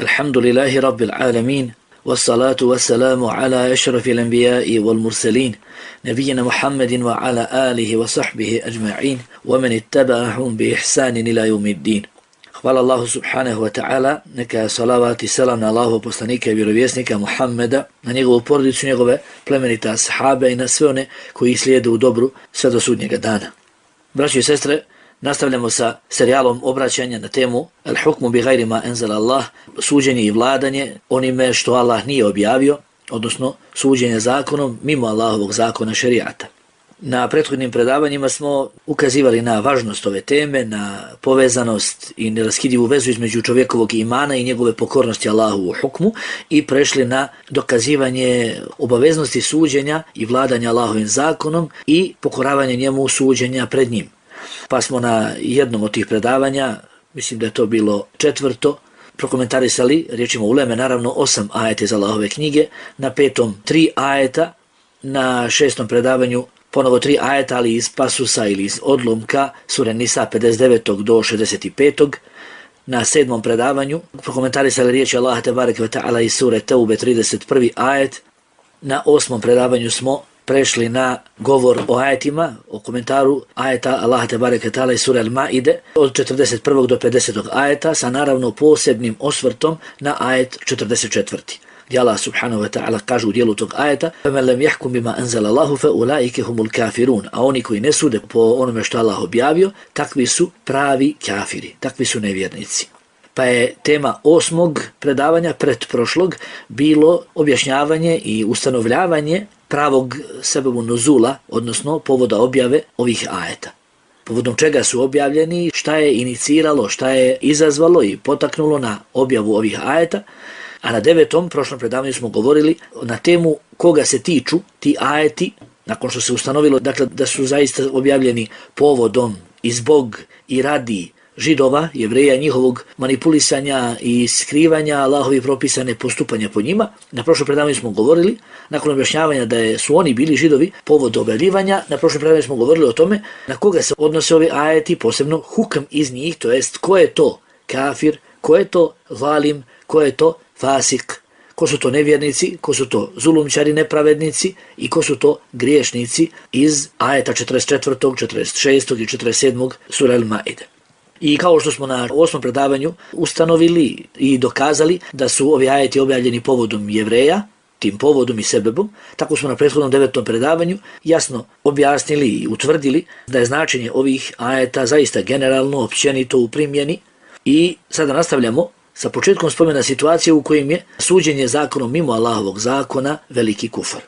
Alhamdulillahi Rabbil Alamin, wassalatu wassalamu ala ashrafil anbiya'i wal mursalin, nabiyina Muhammadin wa ala alihi wa sahbihi ajma'in, wa man ittaba'ahum bi ihsanin ila yawmiddin. Hvala Allahu subhanahu wa ta'ala, neka salavat i selam na Allahu poslanika i vjerovjesnika Muhammeda, na njegovu porodicu, njegove plemenite ashabe i na sve one koji slijede u dobru sve do sudnjega dana. Braćo i sestre, nastavljamo sa serijalom obraćanja na temu Al-hukmu bi gajri ma enzala Allah, suđenje i vladanje onime što Allah nije objavio, odnosno suđenje zakonom mimo Allahovog zakona šerijata. Na prethodnim predavanjima smo ukazivali na važnost ove teme, na povezanost i neraskidivu vezu između čovjekovog imana i njegove pokornosti Allahu u hukmu i prešli na dokazivanje obaveznosti suđenja i vladanja Allahovim zakonom i pokoravanje njemu suđenja pred njim. Pa smo na jednom od tih predavanja, mislim da je to bilo 4, prokomentarisali riječima uleme, naravno 8 ajeta iz Allahove knjige, na 5. 3 ajeta, na 6. predavanju ponovo 3 ajeta, ali iz pasusa ili iz odlomka sure Nisa 59. do 65. Na 7. predavanju prokomentarisali riječi Allaha tebareke ve ta'ala iz sure Teube 31. ajet. Na 8. predavanju smo prešli na govor o ajetima, o komentaru ajeta Allaha tebareke ve ta'ala iz sure Al-Maide od 41. do 50. ajeta sa naravno posebnim osvrtom na ajet 44. gdje Allah subhanahu wa ta'ala kaže u dijelu tog ajeta فَمَنْ لَمْ يَحْكُمْ بِمَا أَنْزَلَ اللَّهُ فَأُولَٰئِكَ هُمُ الْكَافِرُونَ, a oni koji ne sude po onome što Allah objavio, takvi su pravi kafiri, takvi su nevjernici. Pa je tema 8. predavanja pretprošlog bilo objašnjavanje i ustanovljavanje pravog sebebu nuzula, odnosno povoda objave ovih ajeta. Povodom čega su objavljeni, šta je iniciralo, šta je izazvalo i potaknulo na objavu ovih ajeta. A na 9. prošlom predavanju smo govorili na temu koga se tiču ti ajeti, nakon što se ustanovilo dakle, da su zaista objavljeni povodom i zbog i radi Židova, Jevreja, njihovog manipulisanja i skrivanja Allahovi propisane postupanja po njima. Na prošlom predavanju smo govorili, nakon objašnjavanja da su oni bili Židovi povod objavljivanja, na prošlom predavanju smo govorili o tome na koga se odnose ovi ajeti, posebno hukm iz njih, to jest ko je to kafir, ko je to zalim, ko je to fasik, ko su to nevjernici, ko su to zulumčari, nepravednici i ko su to griješnici iz ajeta 44., 46. i 47. sura Al-Maide. I kao što smo na 8. predavanju ustanovili i dokazali da su ovi ajeti objavljeni povodom Jevreja, tim povodom i sebebom, tako smo na prethodnom 9. predavanju jasno objasnili i utvrdili da je značenje ovih ajeta zaista generalno, općenito u primjeni. I sada nastavljamo sa početkom spomena situacije u kojim je suđenje zakonom mimo Allahovog zakona veliki kufar.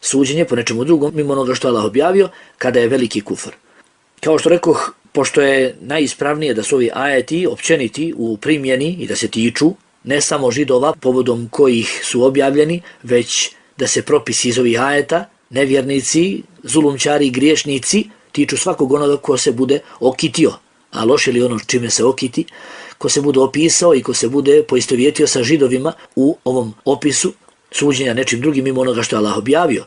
Suđenje po nečemu drugom mimo onoga što Allah objavio kada je veliki kufar. Kao što rekoh, pošto je najispravnije da su ovi ajeti općeniti u primjeni i da se tiču ne samo Židova povodom kojih su objavljeni, već da se propisi iz ovih ajeta, nevjernici, zulumčari, griješnici, tiču svakog onoga ko se bude okitio, a loše li ono čime se okiti, ko se bude opisao i ko se bude poistovjetio sa Židovima u ovom opisu suđenja nečim drugim mimo onoga što je Allah objavio.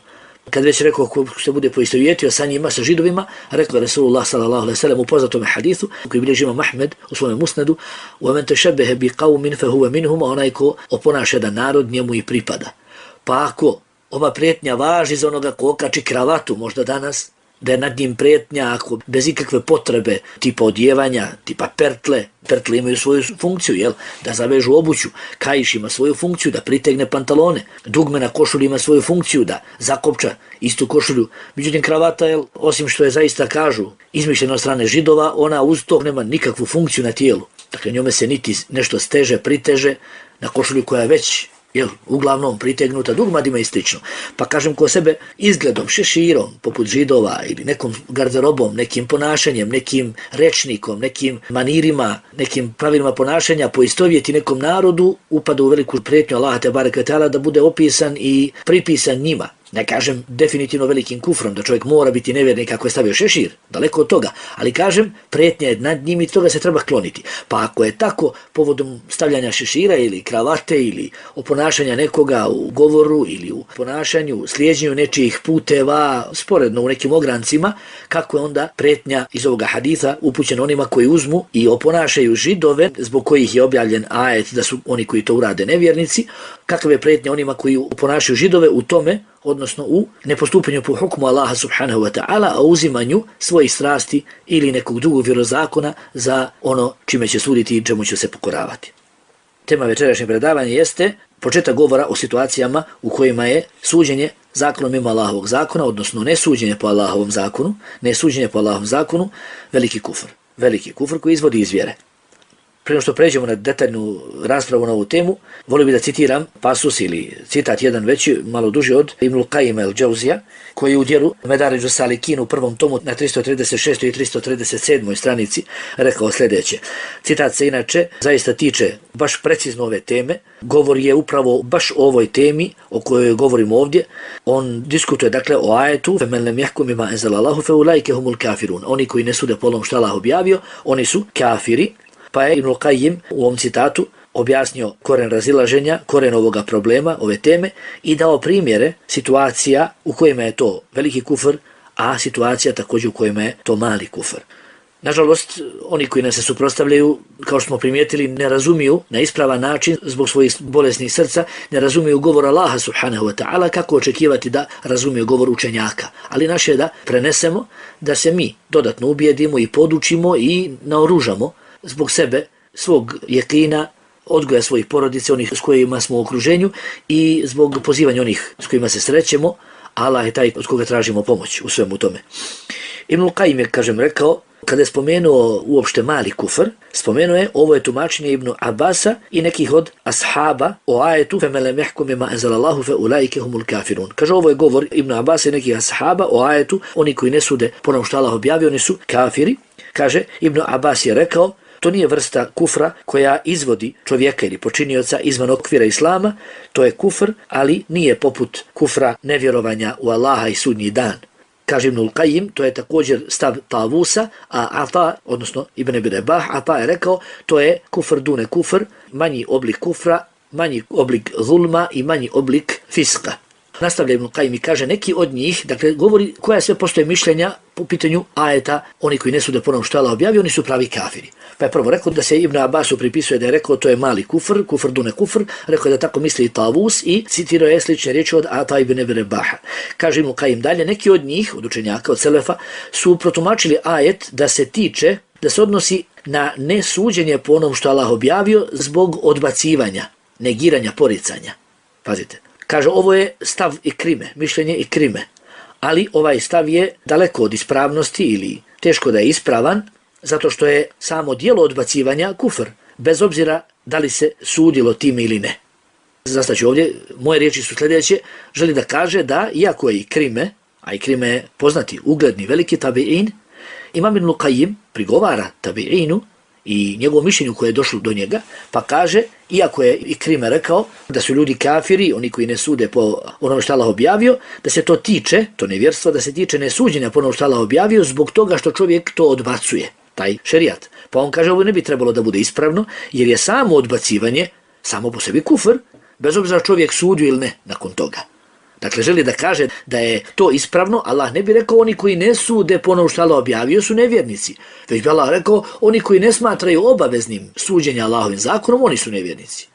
Kad već rekao ko se bude poistovjetio sa njima, sa Židovima, rekao Rasulullah sallallahu alejhi ve sellem u poznatom hadisu koji bilježi Imam Ahmed u svom musnedu: "Wa man tashabbaha bi qaumin fa huwa minhum", onaj ko oponaša jedan narod njemu i pripada. Pa ako ova prijetnja važi za onoga ko okači kravatu možda danas, da je nad njim prijetnja ako bez ikakve potrebe tipa odjevanja, tipa pertle imaju svoju funkciju, jel? Da zavežu obuću, kaiš ima svoju funkciju, da pritegne pantalone, dugme na košulju ima svoju funkciju, da zakopča istu košulju. Međutim, kravata, jel, osim što je zaista kažu izmišljena od strane Židova, ona uz to nema nikakvu funkciju na tijelu. Dakle, njome se niti nešto steže, priteže na košulju koja je već uglavnom pritegnuta dugmadima i slično. Pa kažem ko sebe izgledom, šeširom, poput Židova ili nekom garderobom, nekim ponašanjem, nekim rečnikom, nekim manirima, nekim pravilima ponašanja poistovjeti nekom narodu, upada u veliku prijetnju Allaha tebareke ve ta'ala da bude opisan i pripisan njima. Ne kažem definitivno velikim kufrom, da čovjek mora biti nevjernik ako je stavio šešir, daleko od toga, ali kažem, prijetnja je nad njim i toga se treba kloniti. Pa ako je tako, povodom stavljanja šešira ili kravate ili oponašanja nekoga u govoru ili u ponašanju, slijeđenju nečijih puteva, sporedno u nekim ograncima, kako je onda prijetnja iz ovoga haditha upućena onima koji uzmu i oponašaju Židove, zbog kojih je objavljen ajet da su oni koji to urade nevjernici, kakva je prijetnja onima koji oponašaju Židove u tome, odnosno u nepostupanju po hukmu Allaha subhanahu wa ta'ala, a uzimanju svojih strasti ili nekog drugog vjerozakona za ono čime će suditi i čemu će se pokoravati. Tema večerašnjeg predavanja jeste početak govora o situacijama u kojima je suđenje zakonom mimo Allahovog zakona, odnosno nesuđenje po Allahovom zakonu, veliki kufr. Veliki kufr koji izvodi iz vjere. Prije što pređemo na detaljnu raspravu na ovu temu, volio bih da citiram pasus ili citat jedan veći, malo duži od Ibnul Qajima el-Džauzija, koji u djelu Medaridžu Salikin u prvom tomu na 336. i 337. stranici rekao sljedeće. Citat se inače zaista tiče baš precizno ove teme, govor je upravo baš o ovoj temi o kojoj govorimo ovdje. On diskutuje dakle o ajetu فَمَنْ لَمْ يَحْكُمْ بِمَا أَنزَلَ اللَّهُ فَأُولَٰئِكَ هُمُ الْكَافِرُونَ. Oni koji ne sude po onom što Allah objavio, oni su kafiri. Pa je Ibnul Qajim u ovom citatu objasnio koren razilaženja, koren ovoga problema, ove teme i dao primjere situacija u kojima je to veliki kufr, a situacija također u kojima je to mali kufr. Nažalost, oni koji nas se suprotstavljaju, kao što smo primijetili, ne razumiju na ispravan način zbog svojih bolesnih srca, ne razumiju govor Allaha subhanahu wa ta'ala, kako očekivati da razumiju govor učenjaka. Ali naše je da prenesemo, da se mi dodatno ubijedimo i podučimo i naoružamo zbog sebe, svog jekina, odgoja svojih porodice, onih s kojima smo u okruženju i zbog pozivanja onih s kojima se srećemo, Allah je taj od koga tražimo pomoć u svemu tome. Ibnul Qajim je, kažem, rekao, kada je spomenuo uopšte mali kufr, spomenuo je, ovo je tumačenje Ibnu Abasa i nekih od ashaba o ajetu فَمَنْ لَمْ يَحْكُمْ بِمَا أَنزَلَ اللَّهُ فَأُولَٰئِكَ هُمُ الْكَافِرُونَ. Kaže, ovo je govor Ibnu Abasa i nekih ashaba o ajetu, oni koji ne sude po onom što Allah objavio, oni su kafiri. Kaže, Ibnu Abbas je rekao, to nije vrsta kufra koja izvodi čovjeka ili počinioca izvan okvira islama, to je kufr, ali nije poput kufra nevjerovanja u Allaha i sudnji dan. Kaže Ibnul Qajim, to je također stav Tavusa, a Ata, odnosno Ibn Abi Rabah, Ata je rekao, to je kufr dune kufr, manji oblik kufra, manji oblik zulma i manji oblik fiska. Nastavlja Ibnul Qajim i kaže, neki od njih, dakle, govori koja sve postoje mišljenja po pitanju ajeta, oni koji ne sude po onom što Allah objavio, oni su pravi kafiri. Pa je prvo rekao da se Ibn Abbasu pripisuje da je rekao to je mali kufr, kufr dune kufr, rekao je da tako misli i Tavus i citirao je slične riječi od Ata ibn Abi Rabaha. Kaže Ibnul Qajim dalje, neki od njih, od učenjaka, od selefa, su protumačili ajet da se tiče, da se odnosi na nesuđenje po onom što Allah objavio zbog odbacivanja, negiranja, poricanja. Pazite. Kaže, ovo je stav Ikrime, mišljenje Ikrime, ali ovaj stav je daleko od ispravnosti ili teško da je ispravan, zato što je samo dijelo odbacivanja kufr, bez obzira da li se sudilo tim ili ne. Zastaću ovdje, moje riječi su sljedeće, želi da kaže da, iako je Ikrime, a Ikrime je poznati, ugledni, veliki tabi'in, Imam Ibnul Qajim prigovara tabi'inu i njegovom mišljenju koje je došlo do njega, pa kaže, iako je Ikrime rekao da su ljudi kafiri, oni koji ne sude po onom što Allah objavio, da se to tiče, to nevjerstvo, da se tiče nesuđenja po onom što Allah objavio zbog toga što čovjek to odbacuje, taj šerijat. Pa on kaže, ovo ne bi trebalo da bude ispravno, jer je samo odbacivanje, samo po sebi kufr, bez obzira čovjek sudio ili ne nakon toga. Dakle, želi da kaže da je to ispravno, Allah ne bi rekao oni koji ne sude po onom što Allah objavio su nevjernici. Već bi Allah rekao oni koji ne smatraju obaveznim suđenja Allahovim zakonom, oni su nevjernici.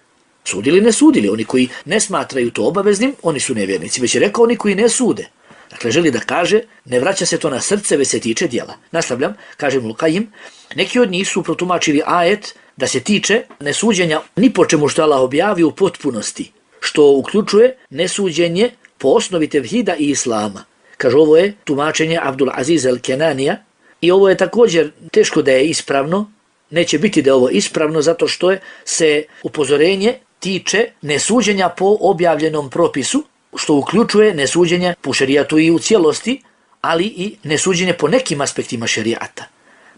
Sudili, ne sudili, oni koji ne smatraju to obaveznim, oni su nevjernici. Već je rekao oni koji ne sude. Dakle, želi da kaže, ne vraća se to na srce, već se tiče djela. Nastavljam, kaže Ibnul Qajim, neki od njih su protumačili ajet da se tiče nesuđenja ni po čemu što Allah objavio u potpunosti, što uključuje nesuđenje po osnovi tevhida i islama. Kaže, ovo je tumačenje Abdul Aziz el-Kenanija i ovo je također teško da je ispravno, neće biti da je ovo ispravno zato što se upozorenje tiče nesuđenja po objavljenom propisu, što uključuje nesuđenje po šerijatu i u cijelosti, ali i nesuđenje po nekim aspektima šerijata.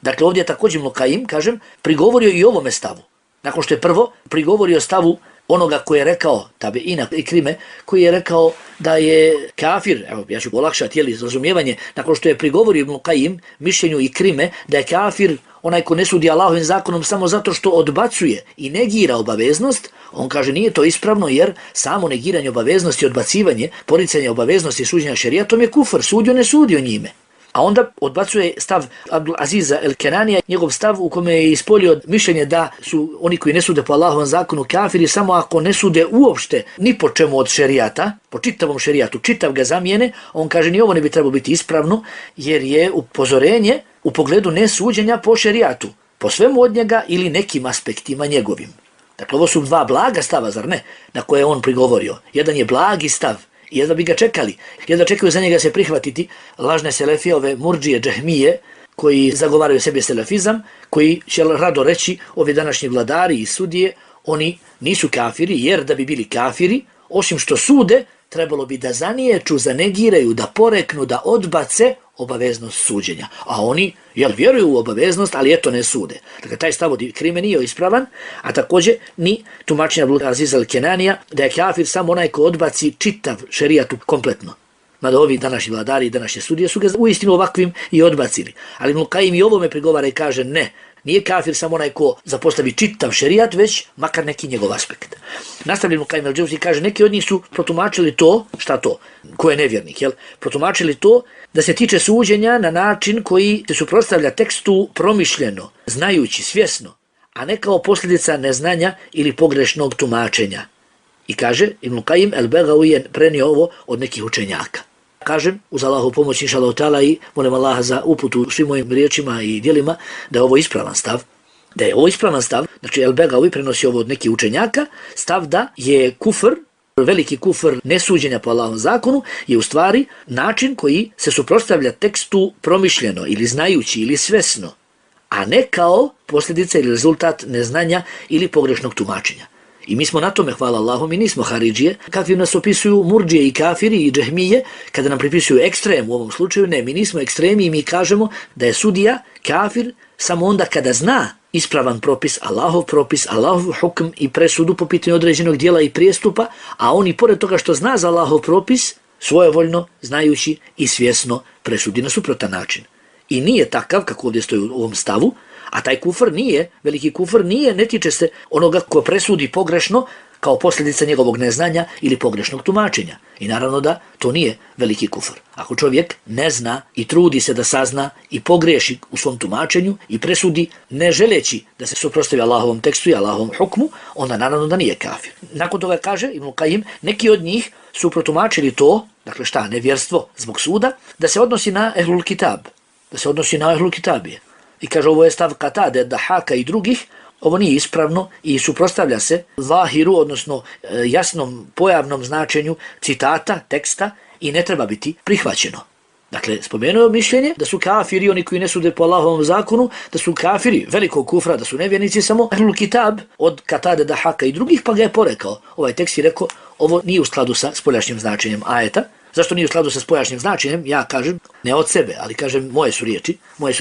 Dakle, ovdje također Ibnul Qajim, kažem, prigovorio i ovome stavu. Nakon što je prvo prigovorio stavu onoga koji je rekao, tabeina Ikrime, koji je rekao da je kafir, evo ja ću olakšati razumijevanje, nakon što je prigovorio Ibn Qajim mišljenju Ikrime da je kafir onaj ko ne sudi Allahovim zakonom samo zato što odbacuje i negira obaveznost, on kaže nije to ispravno jer samo negiranje obaveznosti, odbacivanje, poricanje obaveznosti suđenja šerijatom je kufr, sudio ne sudio njime. A onda odbacuje stav Abdul Aziza el-Kenanija, njegov stav u kome je ispolio mišljenje da su oni koji ne sude po Allahovom zakonu kafiri samo ako ne sude uopšte ni po čemu od šerijata, po čitavom šerijatu, čitav ga zamijene, on kaže ni ovo ne bi trebalo biti ispravno jer je upozorenje u pogledu nesuđenja po šerijatu, po svemu od njega ili nekim aspektima njegovim. Dakle, ovo su dva blaga stava, zar ne, na koje je on prigovorio. Jedan je blagi stav, i jedva bi ga čekali, jedva čekaju za njega se prihvatiti lažne selefije, ove murdžije, džahmije, koji zagovaraju sebi selefizam, koji će rado reći ovi današnji vladari i sudije, oni nisu kafiri, jer da bi bili kafiri, osim što sude, trebalo bi da zaniječu, zanegiraju, da poreknu, da odbace obaveznost suđenja. A oni, vjeruju u obaveznost, ali eto ne sude. Dakle, taj stav od Ikrime nije ispravan, a također ni tumačenja Abdul Aziza el-Kenanija da je kafir samo onaj ko odbaci čitav šerijatu kompletno. Mada ovi današnji vladari i današnje sudije su ga uistinu ovakvim i odbacili. Ali Ibn Qajim i ovome prigovara i kaže ne, nije kafir samo onaj ko zapostavi čitav šerijat, već makar neki njegov aspekt. Nastavlja Ibn Qajim el-Džauzi kaže neki od njih su protumačili to, šta to, ko je nevjernik, protumačili to da se tiče suđenja na način koji se suprotstavlja tekstu promišljeno, znajući, svjesno, a ne kao posljedica neznanja ili pogrešnog tumačenja. I kaže, Ibn Qajim el-Begawi je prenio ovo od nekih učenjaka. Kažem, uz Allahu pomoć, inša Allah ta'ala, i molim Allaha za uputu svim mojim riječima i djelima, da je ovo ispravan stav. Da je ovo ispravan stav, znači el-Begawi prenosi ovo od nekih učenjaka, stav da je kufr, veliki kufr nesuđenja po Allahovom zakonu, je u stvari način koji se suprotstavlja tekstu promišljeno ili znajući ili svesno, a ne kao posljedica ili rezultat neznanja ili pogrešnog tumačenja. I mi smo na tome, hvala Allahu, mi nismo haridžije, kakvi nas opisuju murdžije i kafiri i džehmije, kada nam pripisuju ekstrem u ovom slučaju, ne, mi nismo ekstremi i mi kažemo da je sudija kafir samo onda kada zna ispravan propis, Allahov hukm i presudu po pitanju određenog dijela i prijestupa, a on i pored toga što zna za Allahov propis, svojevoljno, znajući i svjesno presudi na suprotan način. I nije takav, kako ovdje stoji u ovom stavu, a taj kufr nije, veliki kufr nije, ne tiče se onoga ko presudi pogrešno kao posljedica njegovog neznanja ili pogrešnog tumačenja. I naravno da to nije veliki kufr. Ako čovjek ne zna i trudi se da sazna i pogreši u svom tumačenju i presudi ne želeći da se suprotstavi Allahovom tekstu i Allahovom hukmu, onda naravno da nije kafir. Nakon toga kaže Ibn Qajim, neki od njih su protumačili to, dakle šta, nevjerstvo zbog suda, da se odnosi na ehlul kitab, da se odnosi na ehlul kitabije. I kaže ovo je stav Katade, Dahaka i drugih, ovo nije ispravno i suprotstavlja se zahiru, odnosno jasnom pojavnom značenju citata, teksta i ne treba biti prihvaćeno. Dakle, spomenuo mišljenje da su kafiri, oni koji ne sude po Allahovom zakonu, da su kafiri velikog kufra, da su nevjernici samo ehlul kitab od Katade, Dahaka i drugih, pa ga je porekao. Ovaj tekst je rekao, ovo nije u skladu sa spoljašnjim značenjem ajeta. Zašto nije u skladu sa spoljašnjim značenjem? Ja kažem, ne od sebe, ali kažem moje su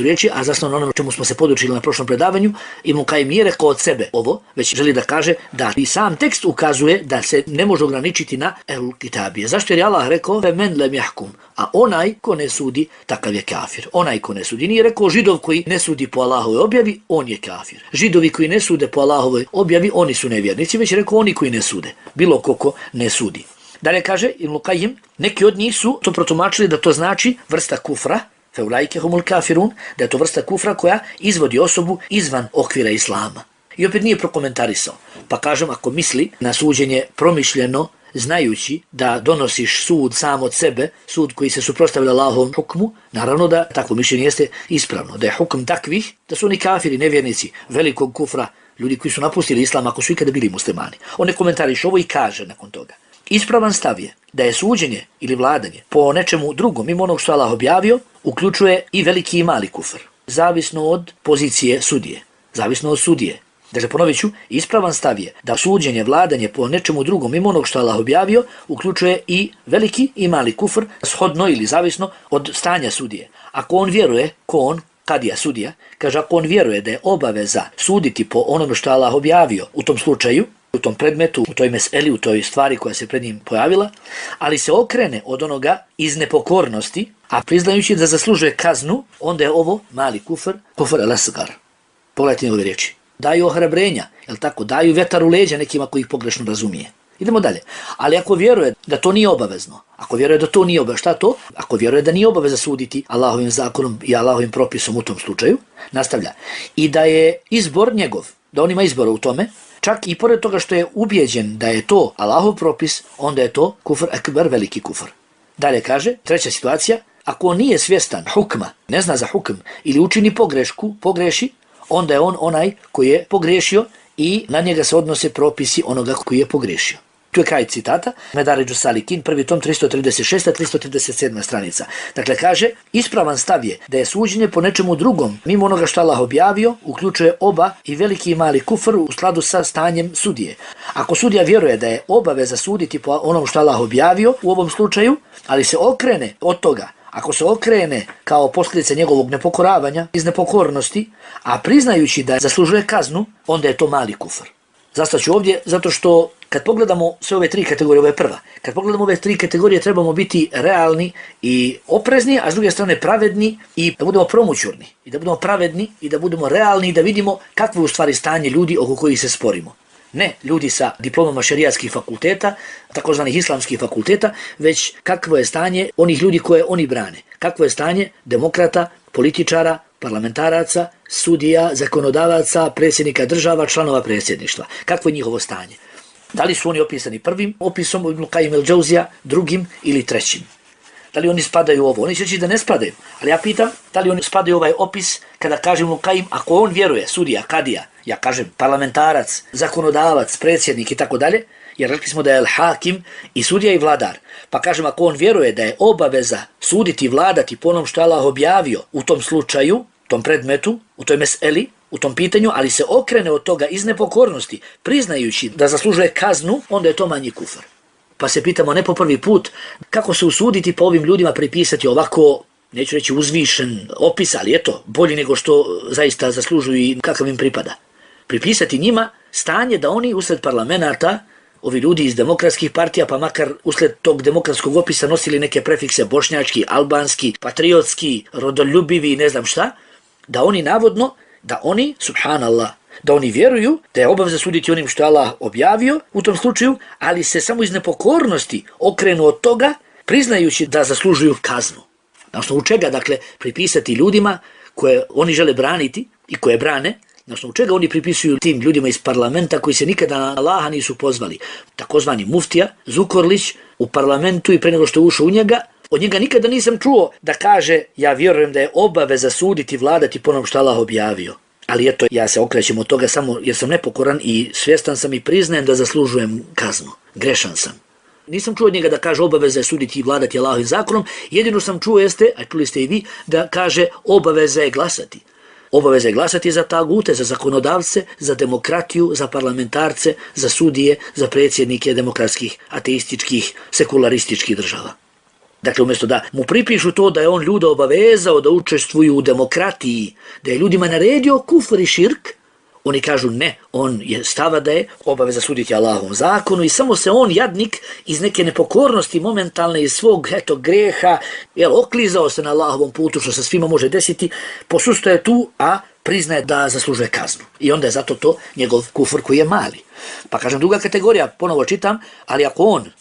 riječi, a zasnovno ono čemu smo se podučili na prošlom predavanju, Ibn Qajim nije rekao od sebe ovo, već želi da kaže da i sam tekst ukazuje da se ne može ograničiti na ehlul kitabije. Zašto je Allah rekao men lem yahkum, a onaj ko ne sudi, takav je kafir. Onaj ko ne sudi, nije rekao Židov koji ne sudi po Allahovoj objavi, on je kafir. Židovi koji ne sude po Allahovoj objavi, oni su nevjernici, već je rekao oni koji ne sude, bilo ko ne sudi. Dalje kaže Ibn Qajim, neki od njih su to protumačili da to znači vrsta kufra, feulajke humul kafirun, da je to vrsta kufra koja izvodi osobu izvan okvira islama. I opet nije prokomentarisao. Pa kažem, ako misli na suđenje promišljeno, znajući da donosiš sud sam od sebe, sud koji se suprotstavlja Allahovom hukmu, naravno da takvo mišljenje jeste ispravno. Da je hukm takvih, da su oni kafiri, nevjernici, velikog kufra, ljudi koji su napustili islam ako su ikada bili muslimani. On ne komentariše ovo i kaže nakon toga. Ispravan stav je da je suđenje ili vladanje po nečemu drugom, mimo onog što Allah objavio, uključuje i veliki i mali kufr, zavisno od pozicije sudije, zavisno od sudije. Dakle, ponovit ću, ispravan stav je da suđenje, vladanje po nečemu drugom, mimo onog što Allah objavio, uključuje i veliki i mali kufr, shodno ili zavisno od stanja sudije. Ako on vjeruje, kadija sudija, kaže ako on vjeruje da je obaveza suditi po onome što Allah objavio u tom slučaju, u tom predmetu, u toj meseli, u toj stvari koja se pred njim pojavila, ali se okrene od onoga iz nepokornosti, a priznajući da zaslužuje kaznu, onda je ovo mali kufr al-asgar. Pogledajte njegove riječi. Daju ohrabrenja, jel tako? Daju vetar u leđa nekima koji ih pogrešno razumije. Idemo dalje. Ali ako vjeruje da to nije obavezno, ako vjeruje da to nije obavezno, šta to? Ako vjeruje da nije obaveza suditi Allahovim zakonom i Allahovim propisom u tom slučaju, nastavlja. I da je izbor njegov, da on ima izbora u tome, čak i pored toga što je ubijeđen da je to Allahov propis, onda je to kufr ekber, veliki kufr. Dalje kaže, treća situacija, ako on nije svjestan hukma, ne zna za hukm ili učini pogreši, onda je on onaj koji je pogriješio i na njega se odnose propisi onoga koji je pogriješio. Tu je kraj citata, Medaridžu Salikin, prvi tom 336. 337. stranica. Dakle, kaže, ispravan stav je da je suđenje po nečemu drugom, mimo onoga što Allah objavio, uključuje oba i veliki i mali kufr u skladu sa stanjem sudije. Ako sudija vjeruje da je obaveza suditi po onom što Allah objavio u ovom slučaju, ali se okrene od toga, ako se okrene kao posljedica njegovog nepokoravanja, iz nepokornosti, a priznajući da zaslužuje kaznu, onda je to mali kufr. Zastaću ovdje zato što kad pogledamo sve ove tri kategorije, ovo je prva, kad pogledamo ove tri kategorije trebamo biti realni i oprezni, a s druge strane pravedni i da budemo promućurni, i da budemo pravedni i da budemo realni i da vidimo kakvo je u stvari stanje ljudi oko kojih se sporimo. Ne ljudi sa diplomama šerijatskih fakulteta, takozvanih islamskih fakulteta, već kakvo je stanje onih ljudi koje oni brane. Kakvo je stanje demokrata, političara, parlamentaraca, sudija, zakonodavaca, predsjednika država, članova predsjedništva. Kakvo je njihovo stanje? Da li su oni opisani prvim opisom Ibn Qayyim al-Džauzija, drugim ili trećim? Da li oni spadaju u ovo? Oni će reći da ne spadaju, ali ja pitam da li oni spadaju u ovaj opis kada kažem Ibn Qayyim, ako on vjeruje, sudija, kadija, ja kažem parlamentarac, zakonodavac, predsjednik i tako dalje, jer rekli smo da je al-hakim i sudija i vladar. Pa kažem, ako on vjeruje da je obaveza suditi i vladati po onom što Allah objavio u tom slučaju, tom predmetu, u toj meseli, u tom pitanju, ali se okrene od toga iz nepokornosti, priznajući da zaslužuje kaznu, onda je to manji kufr. Pa se pitamo ne po prvi put kako se usuditi po ovim ljudima pripisati ovako, neću reći uzvišen opis, ali eto, bolji nego što zaista zaslužuju i kakav im pripada. Pripisati njima stanje da oni usred parlamenta, ovi ljudi iz demokratskih partija, pa makar usled tog demokratskog opisa nosili neke prefikse bošnjački, albanski, patriotski, rodoljubivi i ne znam šta, da oni navodno, da oni, subhanallah, da oni vjeruju da je obaveza suditi onim što je Allah objavio u tom slučaju, ali se samo iz nepokornosti okrenu od toga, priznajući da zaslužuju kaznu. Na osnovu čega, dakle, pripisati ljudima koje oni žele braniti i koje brane, na osnovu čega oni pripisuju tim ljudima iz parlamenta koji se nikada na Allaha nisu pozvali. Takozvani muftija, Zukorlić, u parlamentu i pre nego što je ušao u njega, od njega nikada nisam čuo da kaže ja vjerujem da je obaveza suditi, vladati po onom što Allah objavio. Ali eto, ja se okrećem od toga samo jer sam nepokoran i svjestan sam i priznajem da zaslužujem kaznu. Grešan sam. Nisam čuo od njega da kaže obaveza je suditi i vladati Allahovim zakonom, jedino sam čuo jeste, a čuli ste i vi, da kaže obaveza je glasati. Obaveza je glasati za tagute, za zakonodavce, za demokratiju, za parlamentarce, za sudije, za predsjednike demokratskih, ateističkih, sekularističkih država. Dakle, umjesto da mu pripišu to da je on ljude obavezao da učestvuju u demokratiji, da je ljudima naredio kufr i širk, oni kažu ne, on je stava da je obaveza suditi Allahovom zakonu i samo se on, jadnik, iz neke nepokornosti momentalne, iz svog greha, oklizao se na Allahovom putu, što se svima može desiti, posustaje tu, a priznaje da zaslužuje kaznu. I onda je zato to njegov kufr koji je mali. Pa kažem, druga kategorija, ponovo čitam, ali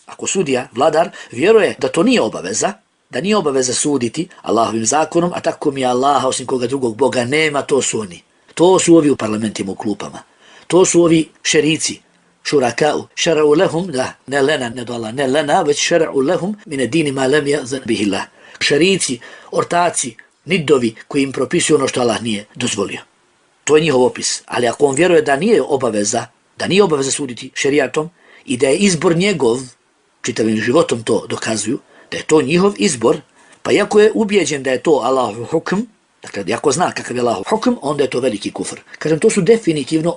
ako sudija, vladar, vjeruje da to nije obaveza, da nije obaveza suditi Allahovim zakonom, a tako mi je Allaha, osim koga drugog Boga nema, to su oni. To su ovi u parlamentima, u klupama. To su ovi šerici, šurakau, šara'u lehum, da, ne lena, ne do Allah, ne lena, već šara'u lehum, mine dini ma lem jazan bihillah. Šerici, ortaci, nidovi koji im propisuju ono što Allah nije dozvolio. To je njihov opis. Ali ako on vjeruje da nije obaveza suditi šerijatom i da je izbor njegov, čitavim životom to dokazuju, da je to njihov izbor, pa iako je ubijeđen da je to Allahov hukm, dakle, ako zna kakav je Allahov hukm, onda je to veliki kufr. Kažem, to su definitivno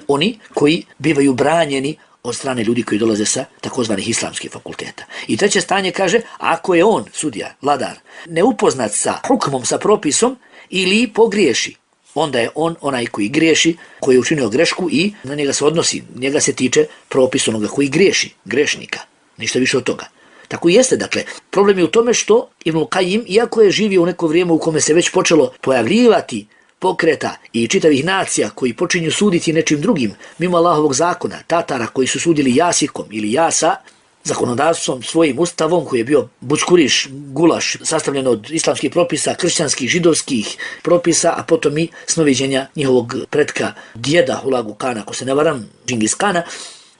oni koji bivaju branjeni od strane ljudi koji dolaze sa takozvanih islamskih fakulteta. I treće stanje kaže, ako je on, sudija, vladar, neupoznat sa hukmom, sa propisom, ili pogriješi, onda je on onaj koji griješi, koji je učinio grešku i na njega se odnosi, njega se tiče propis onoga koji griješi, grešnika, ništa više od toga. Tako i jeste, dakle, problem je u tome što Ibn Kajim, iako je živio u neko vrijeme u kome se već počelo pojavljivati pokreta i čitavih nacija koji počinju suditi nečim drugim, mimo Allahovog zakona, Tatara koji su sudili jasikom ili jasa, zakonodavstvom, svojim ustavom koji je bio bučkuriš, gulaš, sastavljen od islamskih propisa, kršćanskih, židovskih propisa, a potom i snoviđenja njihovog pretka, djeda Hulagu Kana, ako se ne varam, Džingis Kana.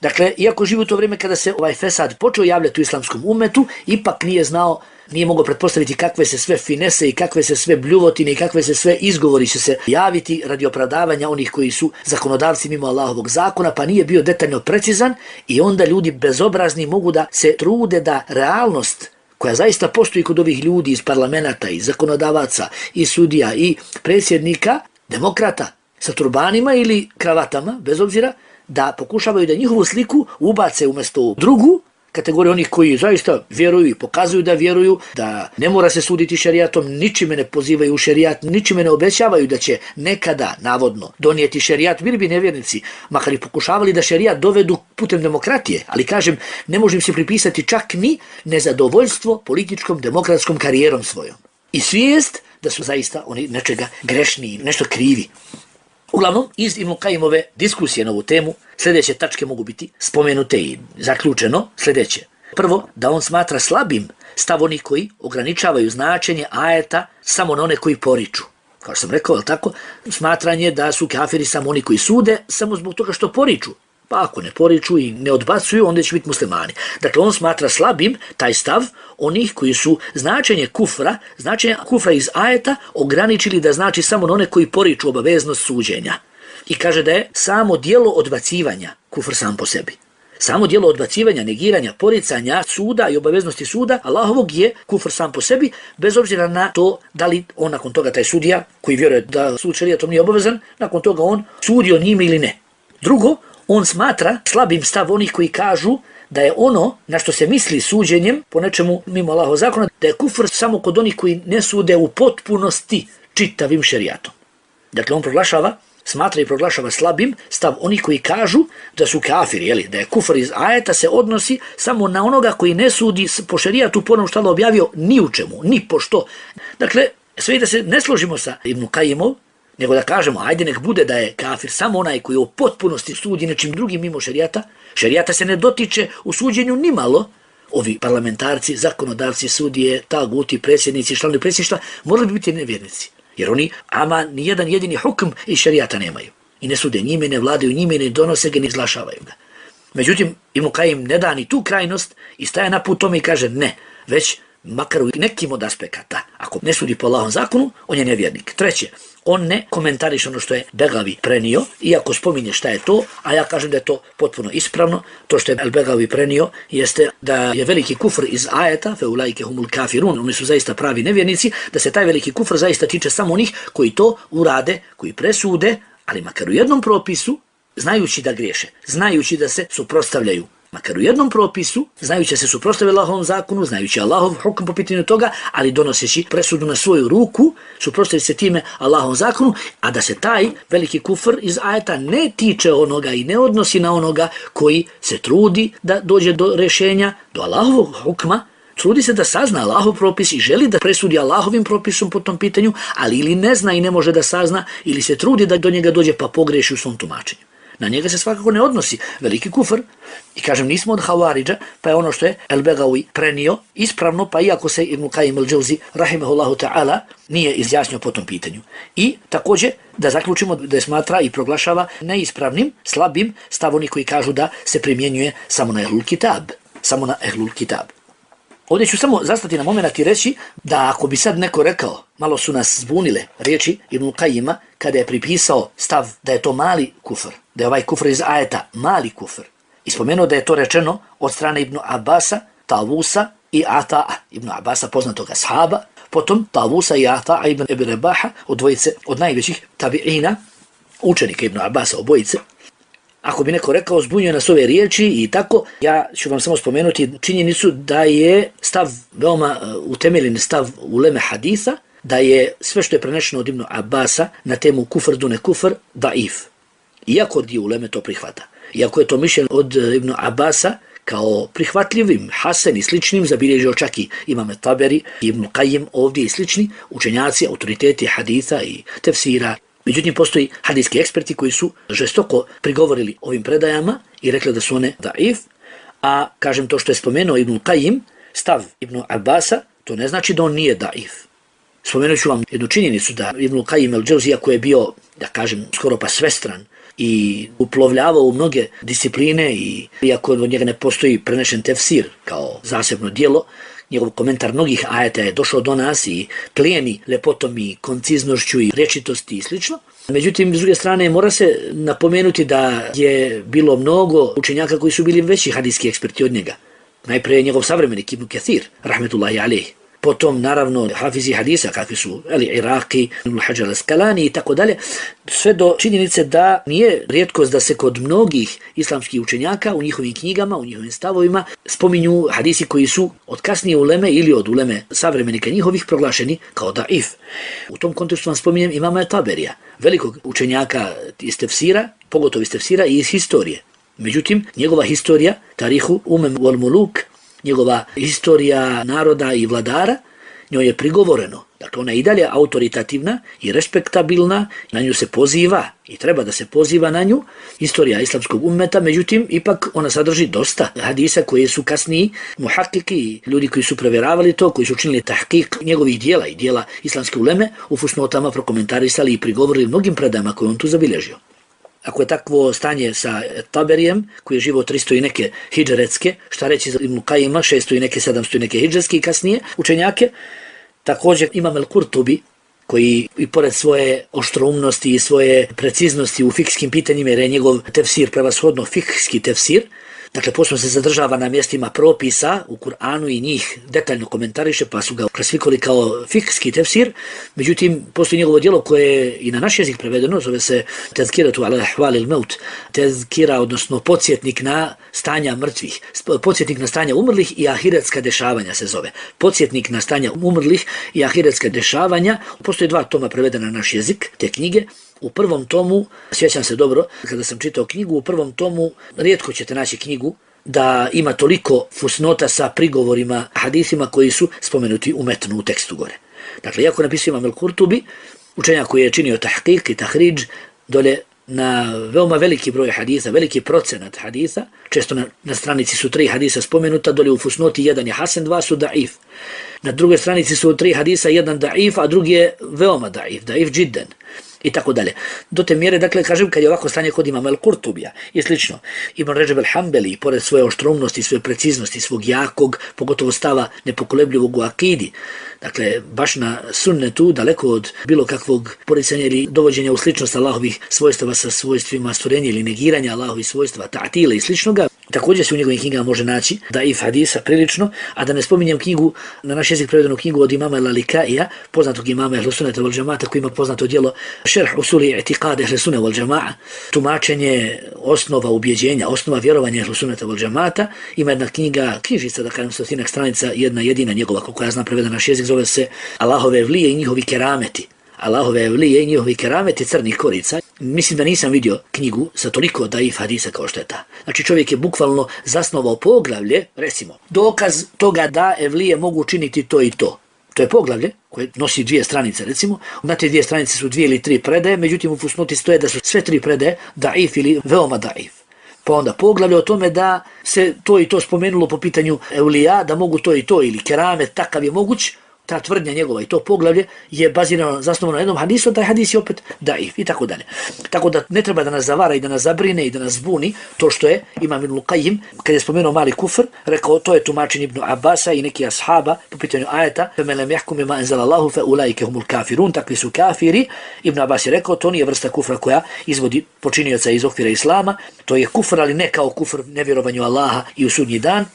Dakle, iako živi u to vrijeme kada se ovaj fesad počeo javljati u islamskom umetu, ipak nije znao, nije mogao pretpostaviti kakve se sve finese i kakve se sve bljuvotine i kakve se sve izgovori će se javiti radi opravdavanja onih koji su zakonodavci mimo Allahovog zakona, pa nije bio detaljno precizan i onda ljudi bezobrazni mogu da se trude da realnost koja zaista postoji kod ovih ljudi iz parlamenta, iz zakonodavaca, i sudija, i predsjednika, demokrata sa turbanima ili kravatama, bez obzira, da pokušavaju da njihovu sliku ubace umjesto drugu kategoriju onih koji zaista vjeruju i pokazuju da vjeruju, da ne mora se suditi šerijatom, ničime ne pozivaju u šerijat, ničime ne obećavaju da će nekada, navodno, donijeti šerijat, bili bi nevjernici, makar i pokušavali da šerijat dovedu putem demokratije, ali kažem, ne možem se pripisati čak ni nezadovoljstvo političkom, demokratskom karijerom svojom. I svijest da su zaista oni nečega grešni, nešto krivi. Uglavnom, iz Ibn Kajimove diskusije na ovu temu, sljedeće tačke mogu biti spomenute i zaključeno sljedeće. Prvo, da on smatra slabim stav onih koji ograničavaju značenje ajeta samo na one koji poriču. Kao što sam rekao, tako, smatranje da su kafiri samo oni koji sude, samo zbog toga što poriču. Pa ako ne poriču i ne odbacuju, onda će biti muslimani. Dakle, on smatra slabim taj stav onih koji su značenje kufra iz ajeta ograničili da znači samo na one koji poriču obaveznost suđenja. I kaže da je samo dijelo odbacivanja kufr sam po sebi. Samo dijelo odbacivanja, negiranja, poricanja suda i obaveznosti suda Allahovog je kufr sam po sebi, bez obzira na to da li on nakon toga taj sudija koji vjeruje da sud šerijatom nije obavezan, nakon toga on sudio njime ili ne. Drugo, on smatra slabim stav onih koji kažu da je ono na što se misli suđenjem po nečemu mimo Allahovog zakona, da je kufr samo kod onih koji ne sude u potpunosti čitavim šerijatom. Dakle, on smatra i proglašava slabim stav onih koji kažu da su kafiri, da je kufr iz ajeta se odnosi samo na onoga koji ne sudi po šerijatu po onom što Allah objavio ni u čemu, ni po što. Dakle, sve da se ne složimo sa Ibn Kajimom, nego da kažemo, ajde nek bude da je kafir samo onaj koji u potpunosti sudi nečim drugim mimo šerijata. Šerijata se ne dotiče u suđenju nimalo. Ovi parlamentarci, zakonodavci, sudije, taguti, predsjednici, članovi predsjedništva morali bi biti nevjernici. Jer oni ni jedan jedini hukm iz šerijata nemaju. I ne sude njime, ne vladaju njime, ne donose ga, ne izglašavaju ga. Međutim, Ibn Kajim ne da ni tu krajnost i staje na put tome i kaže ne, već makar u nekim od aspekata. Ako ne sudi po Allahovom zakonu, on je nevjernik. Treće, on ne komentariše ono što je Begavi prenio, iako spominje šta je to, a ja kažem da je to potpuno ispravno. To što je Begavi prenio jeste da je veliki kufr iz ajeta, fe ulaike humul kafirun, oni su zaista pravi nevjernici, da se taj veliki kufr zaista tiče samo onih koji to urade, koji presude, ali makar u jednom propisu, znajući da griješe, znajući da se suprotstavljaju, makar u jednom propisu, znajući da se suprotstavljaju Allahovom zakonu, znajući Allahov hukm po pitanju toga, ali donoseći presudu na svoju ruku, suprotstavljajući se time Allahovom zakonu, a da se taj veliki kufr iz ajeta ne tiče onoga i ne odnosi na onoga koji se trudi da dođe do rješenja, do Allahovog hukma, trudi se da sazna Allahov propis i želi da presudi Allahovim propisom po tom pitanju, ali ili ne zna i ne može da sazna, ili se trudi da do njega dođe pa pogreši u svom tumačenju. Na njega se svakako ne odnosi veliki kufr. I kažem, nismo od Hawaridža, pa je ono što je El-Begawi prenio ispravno, pa iako se Ibn Kajim al-Džauzi, rahimahullahu ta'ala, nije izjasnio po tom pitanju. I također da zaključimo da je smatra i proglašava neispravnim, slabim stav oni koji kažu da se primjenjuje samo na Ehlul Kitab. Samo na Ehlul Kitab. Ovdje ću samo zastati na moment i reći da ako bi sad neko rekao, malo su nas zbunile riječi Ibn Kajima kada je pripisao stav da je to mali kufr, da je ovaj kufr iz ajeta mali kufr. I spomenuo da je to rečeno od strane Ibn Abasa, Tavusa i Ata'a. Ibn Abasa poznatog ashaba, potom Tavusa i Ata'a ibn Abi Rabaha, od najvećih tabi'ina, učenika Ibn Abasa obojice. Ako bi neko rekao zbunjuje nas ove riječi i tako, ja ću vam samo spomenuti činjenicu da je stav, veoma utemeljen stav uleme haditha, da je sve što je prenešeno od Ibn Abasa na temu kufr dune kufr daif. Iako dio uleme to prihvata. Iako je to mišljenje od Ibn Abasa kao prihvatljivim, hasen i sličnim, zabilježio čak i Imam Taberi, Ibn Qajim ovdje i slični učenjaci, autoriteti haditha i tefsira. Međutim, postoji hadijski eksperti koji su žestoko prigovorili ovim predajama i rekli da su one daif, a kažem to što je spomenuo Ibn Qajim, stav Ibn Abasa, to ne znači da on nije daif. Spomenut ću vam jednu činjenicu da Ibn Qajim el-Džauzija koji je bio, da kažem, skoro pa svestran i uplovljavao u mnoge discipline i iako od njega ne postoji prenešen tefsir kao zasebno dijelo, njegov komentar mnogih ajeta je došao do nas i plijeni lepotom i konciznošću i rečitosti i slično. Međutim, s druge strane, mora se napomenuti da je bilo mnogo učenjaka koji su bili veći hadijski eksperti od njega. Najprije njegov savremenik Ibn Kathir, rahmetullahi alejhi. Potom, naravno, hafizi hadisa, kakvi su Iraqi, Hajar al-Asqalani i tako dalje, sve do činjenice da nije rijetkost da se kod mnogih islamskih učenjaka u njihovim knjigama, u njihovim stavovima spominju hadisi koji su od kasnije uleme ili od uleme savremenika njihovih proglašeni kao daif. U tom kontekstu vam spominjem imama Taberija, velikog učenjaka iz tefsira, pogotovo iz tefsira i iz historije. Međutim, njegova historija, Tarihu Umem wal Muluk, njegova historija naroda i vladara, njoj je prigovoreno. Dakle, ona je i dalje autoritativna i respektabilna, na nju se poziva i treba da se poziva na nju, historija islamskog ummeta, međutim, ipak ona sadrži dosta hadisa koje su kasniji muhakiki, ljudi koji su provjeravali to, koji su učinili tahkik njegovih dijela i dijela islamske uleme, u fusnotama prokomentarisali i prigovorili mnogim predajama koje on tu zabilježio. Ako je takvo stanje sa Taberijem, koji je živo 300 i neke hidžretske, šta reći za Ibn Qajima, 600 i neke, 700 i neke hidžretske i kasnije učenjake, također imam El-Kurtubi, koji i pored svoje oštroumnosti i svoje preciznosti u fikskim pitanjima, jer je njegov tefsir prevashodno fikski tefsir, dakle, posebno se zadržava na mjestima propisa u Kur'anu i njih detaljno komentariše, pa su ga klasifikovali kao fikski tefsir. Međutim, postoji njegovo djelo koje je i na naš jezik prevedeno, zove se Tezkiratu ala ahvali il-maut, tezkira, odnosno podsjetnik na stanja mrtvih, podsjetnik na stanja umrlih i ahiretska dešavanja se zove. Podsjetnik na stanja umrlih i ahiretska dešavanja. Postoji 2 toma prevedena na naš jezik, te knjige. U prvom tomu, sjećam se dobro, kada sam čitao knjigu, u prvom tomu rijetko ćete naći knjigu da ima toliko fusnota sa prigovorima, hadisima koji su spomenuti u metnu, u tekstu gore. Dakle, iako napisao Imam El-Kurtubi, učenjak koji je činio tahkik i tahridž, dole na veoma veliki broj hadisa, veliki procenat hadisa, često na stranici su 3 hadisa spomenuta, dole u fusnoti 1 je hasen, 2 su daif. Na drugoj stranici su 3 hadisa, 1 daif, a drugi je veoma daif džidden. I tako dalje. Do te mjere, dakle, kažem, kad je ovako stanje kod Imama El-Kurtubija i slično, Ibn Ređeb el-Hambeli, pored svoje oštromnosti, svoje preciznosti, svog jakog, pogotovo stava nepokolebljivog u akidi, dakle, baš na sunnetu, daleko od bilo kakvog poricanja ili dovođenja u sličnost Allahovih svojstava sa svojstvima stvorenja ili negiranja Allahovih svojstava, ta'tila i sličnoga, također se u njegovim knjigama može naći daif hadisa prilično, a da ne spominjem knjigu, na naš jezik prevedenu knjigu od imama El-Alikaija, poznatog imama Ehlu Sunneta wal Džemata, koji ima poznato djelo Šerh usuli i'tiqad Ehlu Sunne wal Džema'a, tumačenje osnova ubjeđenja, osnova vjerovanja Ehlu Sunneta wal Džemata. Ima jedna knjižica, da kažem, 100 stranica, jedna jedina njegova, koliko ja znam prevedena naš jezik, zove se Allahove evlije i njihovi kerameti. Allahove evlije i njihovi kerameti crnih korica. Mislim da nisam vidio knjigu sa toliko daif hadisa kao što je ta. Znači, čovjek je bukvalno zasnovao poglavlje, recimo, dokaz toga da evlije mogu učiniti to i to. To je poglavlje koje nosi 2 stranice, recimo. Na te 2 stranice su 2 ili 3 predaje, međutim u fusnoti stoje da su sve 3 predaje daif ili veoma daif. Pa onda poglavlje o tome da se to i to spomenulo po pitanju evlija, da mogu to i to, ili keramet, takav je moguć. Ta tvrdnja njegova i to poglavlje je bazirano, zasnovano na jednom hadisu, taj hadis je opet daif i tako dalje. Tako da ne treba da nas zavara i da nas zabrine i da nas zbuni to što je Imam Ibn Qajim, kad je spomenuo mali kufr, rekao to je tumačenje Ibn Abasa i neki ashaba po pitanju ajeta فَمَنْ لَمْ يَحْكُمْ بِمَا أَنزَلَ اللَّهُ فَأُولَٰئِكَ هُمُ الْكَافِرُونَ, takvi su kafiri. Ibn Abbas je rekao to nije vrsta kufra koja izvodi počinioca iz okvira islama, to je kufr, ali ne kao kufr nevjerovanju Allaha i u sudnji dan,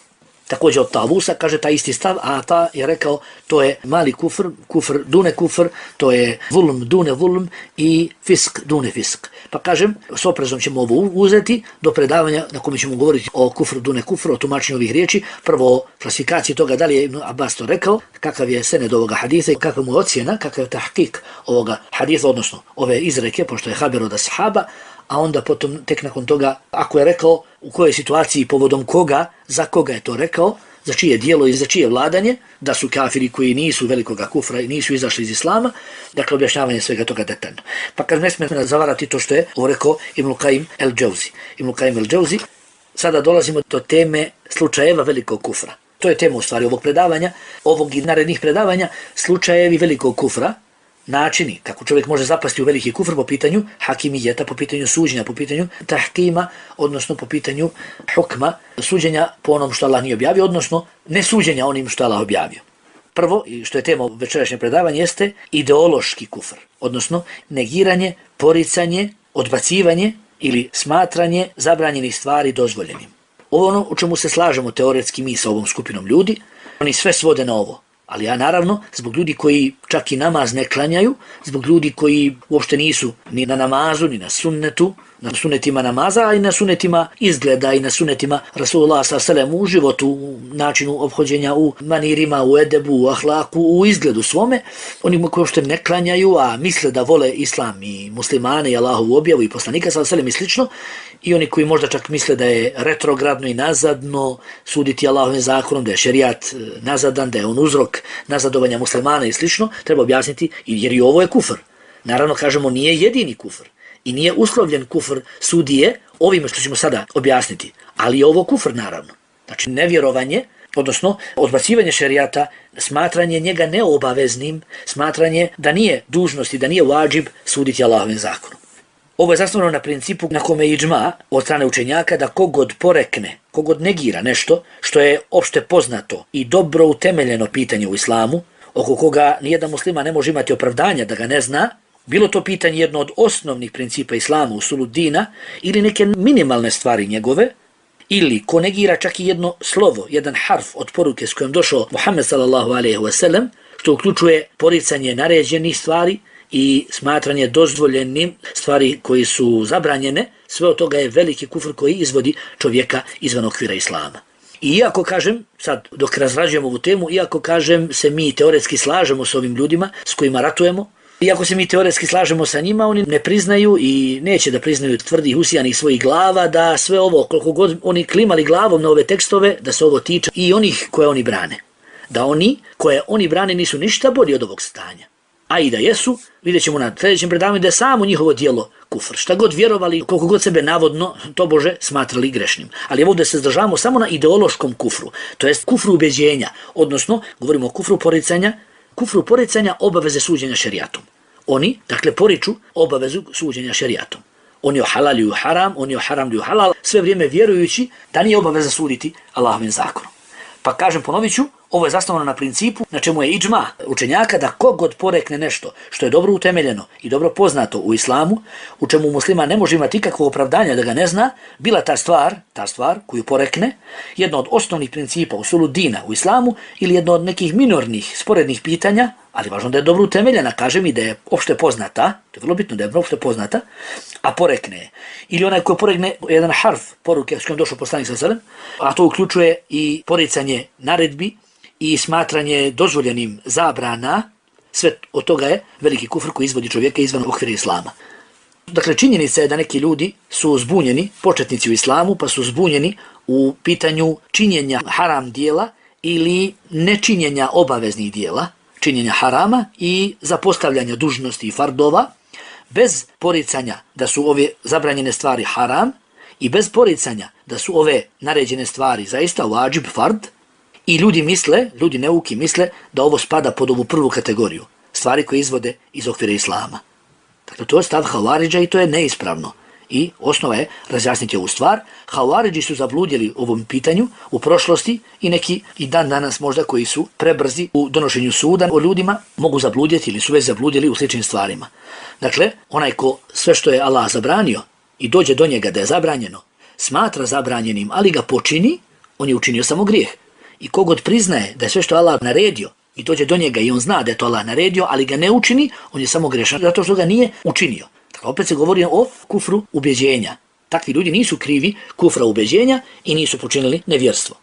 također od Tavusa, kaže taj isti stav, a ta je rekao to je mali kufr, kufr dune kufr, to je vulm dune vulm i fisk dune fisk. Pa kažem, s oprezom ćemo ovo uzeti do predavanja na kome ćemo govoriti o kufru dune kufru, o tumačenju ovih riječi, prvo o klasifikaciji toga da li je Ibn Abbas to rekao, kakav je sened ovoga hadisa i kakav mu je ocjena, kakav je tahkik ovoga hadisa, odnosno ove izreke, pošto je haber od ashaba, a onda potom tek nakon toga, ako je rekao u kojoj situaciji, povodom koga, za koga je to rekao, za čije dijelo i za čije vladanje, da su kafiri koji nisu velikoga kufra i nisu izašli iz islama, dakle objašnjavanje svega toga detaljno. Pa kad ne smijemo zavarati to što je rekao Ibn Qayyim el-Džauzi. Ibn Qayyim el-Džauzi, sada dolazimo do teme slučajeva velikog kufra. To je tema u stvari ovog predavanja, ovog i narednih predavanja, slučajevi velikog kufra, načini kako čovjek može zapasti u veliki kufr po pitanju hakimijeta, po pitanju suđenja, po pitanju tahkima, odnosno po pitanju hukma, suđenja po onom što Allah nije objavio, odnosno ne suđenja onim što Allah objavio. Prvo, i što je tema večerašnje predavanje, jeste ideološki kufr, odnosno negiranje, poricanje, odbacivanje ili smatranje zabranjenih stvari dozvoljenim. Ovo ono u čemu se slažemo teoretski mi sa ovom skupinom ljudi, oni sve svode na ovo. Ali ja naravno, zbog ljudi koji čak i namaz ne klanjaju, zbog ljudi koji uopšte nisu ni na namazu, ni na sunnetu, na sunnetima namaza, a i na sunnetima izgleda i na sunnetima Rasulullah s.a.v. u životu, u načinu ophođenja, u manirima, u edebu, u ahlaku, u izgledu svome, oni koji uopšte ne klanjaju, a misle da vole islam i muslimane i Allahovu objavu i poslanika s.a.v. i slično, i oni koji možda čak misle da je retrogradno i nazadno suditi Allahovim zakonom, da je šerijat nazadan, da je on uzrok nazadovanja muslimana i slično, treba objasniti jer i ovo je kufr. Naravno, kažemo, nije jedini kufr i nije uslovljen kufr sudije ovime što ćemo sada objasniti, ali je ovo kufr naravno. Znači nevjerovanje, odnosno odbacivanje šerijata, smatranje njega neobaveznim, smatranje da nije dužnost i da nije vađib suditi Allahovim zakonom. Ovo je zasnovano na principu na kome je iđma od strane učenjaka da kogod porekne, kogod negira nešto što je opšte poznato i dobro utemeljeno pitanje u islamu, oko koga nijedan muslima ne može imati opravdanja da ga ne zna, bilo to pitanje jedno od osnovnih principa islama, usulu dina, ili neke minimalne stvari njegove, ili ko negira čak i jedno slovo, jedan harf od poruke s kojom došao Muhammed sallallahu alejhi ve sellem, što uključuje poricanje naređenih stvari i smatranje dozvoljenim stvari koji su zabranjene, sve od toga je veliki kufr koji izvodi čovjeka izvan okvira islama. I iako kažem, sad dok razrađujemo ovu temu, iako kažem se mi teoretski slažemo s ovim ljudima s kojima ratujemo, iako se mi teoretski slažemo sa njima, oni ne priznaju i neće da priznaju tvrdih usijanih svojih glava da sve ovo, koliko god oni klimali glavom na ove tekstove, da se ovo tiče i onih koje oni brane. Da oni koje oni brane nisu ništa bolji od ovog stanja. A i da jesu, vidjet ćemo na sljedećem predavanju da je samo njihovo dijelo kufr. Šta god vjerovali, koliko god sebe navodno, to Bože, smatrali grešnim. Ali ovdje se zdržavamo samo na ideološkom kufru, to jest kufru ubeđenja, odnosno govorimo o kufru poricanja obaveze suđenja šerijatom. Oni, dakle, poriču obavezu suđenja šerijatom. Oni ohalaljuju haram, oni oharamljuju halal, sve vrijeme vjerujući da nije obaveza suditi Allahovim zakonom. Pa kažem, ponovit ću, ovo je zasnovano na principu na čemu je iđma učenjaka da kogod porekne nešto što je dobro utemeljeno i dobro poznato u islamu, u čemu muslima ne može imati ikakvog opravdanja da ga ne zna, bila ta stvar koju porekne, jedno od osnovnih principa usulu dina u islamu ili jedno od nekih minornih, sporednih pitanja, ali važno da je dobro utemeljena, kažem i da je opšte poznata, to je vrlo bitno da je opšte poznata, a porekne je. Ili onaj koji porekne jedan harf poruke s kojom došao poslanik sallallahu alejhi ve sellem, a to uključuje i poricanje naredbi i smatranje dozvoljenim zabrana, sve od toga je veliki kufr koji izvodi čovjeka izvan okvira islama. Dakle, činjenica je da neki ljudi su zbunjeni, početnici u islamu, pa su zbunjeni u pitanju činjenja haram dijela ili nečinjenja obaveznih dijela, činjenja harama i zapostavljanja dužnosti i fardova, bez poricanja da su ove zabranjene stvari haram i bez poricanja da su ove naređene stvari zaista vađib, fard, i ljudi neuki misle da ovo spada pod ovu prvu kategoriju, stvari koje izvode iz okvira islama. Dakle, to je stav Havaridža i to je neispravno. I osnova je razjasniti ovu stvar. Havaridži su zabludjeli u ovom pitanju u prošlosti i neki i dan danas možda koji su prebrzi u donošenju suda o ljudima mogu zabludjeti ili su već zabludjeli u sličnim stvarima. Dakle, onaj ko sve što je Allah zabranio i dođe do njega da je zabranjeno, smatra zabranjenim, ali ga počini, on je učinio samo grijeh. I kogod priznaje da je sve što Allah naredio i dođe do njega i on zna da je to Allah naredio, ali ga ne učini, on je samo grešan zato što ga nije učinio. Dakle, opet se govori o kufru ubjeđenja. Takvi ljudi nisu krivi kufra ubjeđenja i nisu počinili nevjerstvo.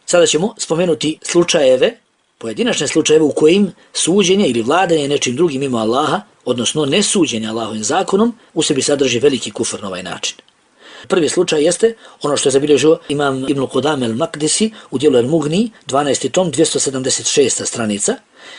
Sada ćemo spomenuti slučajeve, pojedinačne slučajeve u kojim suđenje ili vladanje nečim drugim mimo Allaha, odnosno nesuđenje Allahovim zakonom, u sebi sadrži veliki kufr na ovaj način. Prvi slučaj jeste ono što je zabilježio imam Ibn Qudame al-Maqdisi u dijelu al-Mughni, 12. tom, 276. stranica,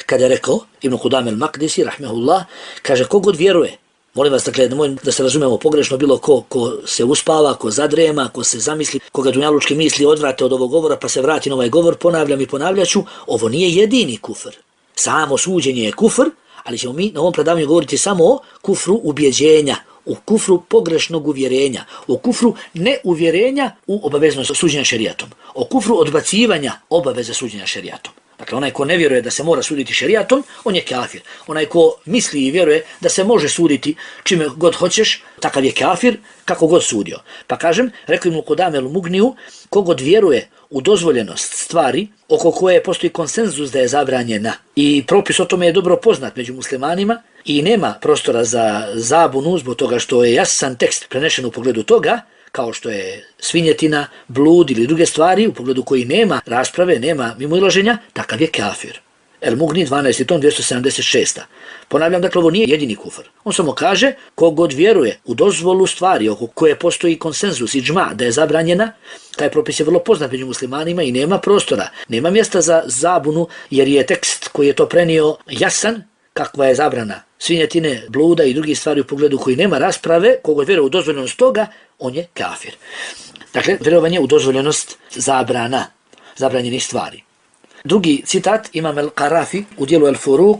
kada je rekao Ibn Qudame al-Maqdisi, rahmehullah, kaže kogod vjeruje, molim vas dakle da se razumemo pogrešno bilo ko se uspava, ko zadrema, ko se zamisli, koga dunjalučki misli odvrate od ovog govora pa se vrati na ovaj govor, ponavljam i ponavljaću, ovo nije jedini kufr. Samo suđenje je kufr, ali ćemo mi na ovom predavanju govoriti samo o kufru ubjeđenja, u kufru pogrešnog uvjerenja, o kufru neuvjerenja u obaveznost suđenja šerijatom, o kufru odbacivanja obaveze suđenja šerijatom. Dakle, onaj ko ne vjeruje da se mora suditi šerijatom, on je kafir. Onaj ko misli i vjeruje da se može suditi čime god hoćeš, takav je kafir, kako god sudio. Pa kažem, rekao Ibn Qudame al-Mughniju, kogod vjeruje u dozvoljenost stvari oko koje postoji konsenzus da je zabranjena i propis o tome je dobro poznat među muslimanima i nema prostora za zabunu zbog toga što je jasan tekst prenešen u pogledu toga, kao što je svinjetina, blud ili druge stvari u pogledu koji nema rasprave, nema mimoilaženja, takav je kafir. El-Mughni 12. tom 276. Ponavljam, dakle, ovo nije jedini kufr. On samo kaže, kogod vjeruje u dozvolu stvari oko koje postoji konsenzus i džma da je zabranjena, taj propis je vrlo poznat među muslimanima i nema prostora, nema mjesta za zabunu, jer je tekst koji je to prenio jasan, kakva je zabrana svinjetine, bluda i drugih stvari u pogledu koji nema rasprave, kogod vjeruje u dozvoljenost toga, on je kafir. Dakle, vjerovanje u dozvoljenost zabrana, zabranjenih stvari. Drugi citat imam al-Qarafi u dijelu al-Furuq,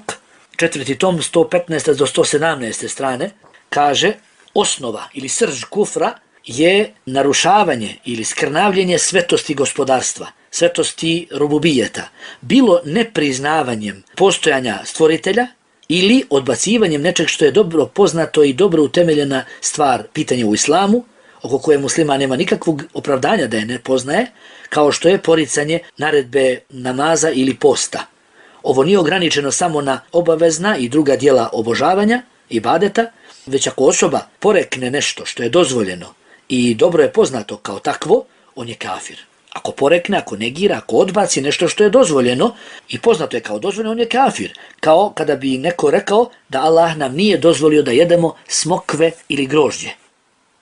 4. tom, 115. do 117. strane, kaže, osnova ili srž kufra je narušavanje ili skrnavljenje svetosti gospodarstva, svetosti rububijeta, bilo nepriznavanjem postojanja stvoritelja ili odbacivanjem nečeg što je dobro poznato i dobro utemeljena stvar, pitanje u islamu, oko koje muslima nema nikakvog opravdanja da je ne poznaje, kao što je poricanje naredbe namaza ili posta. Ovo nije ograničeno samo na obavezna i druga djela obožavanja, ibadeta, već ako osoba porekne nešto što je dozvoljeno i dobro je poznato kao takvo, on je kafir. Ako porekne, ako negira, ako odbaci nešto što je dozvoljeno i poznato je kao dozvoljeno, on je kafir. Kao kada bi neko rekao da Allah nam nije dozvolio da jedemo smokve ili grožđe.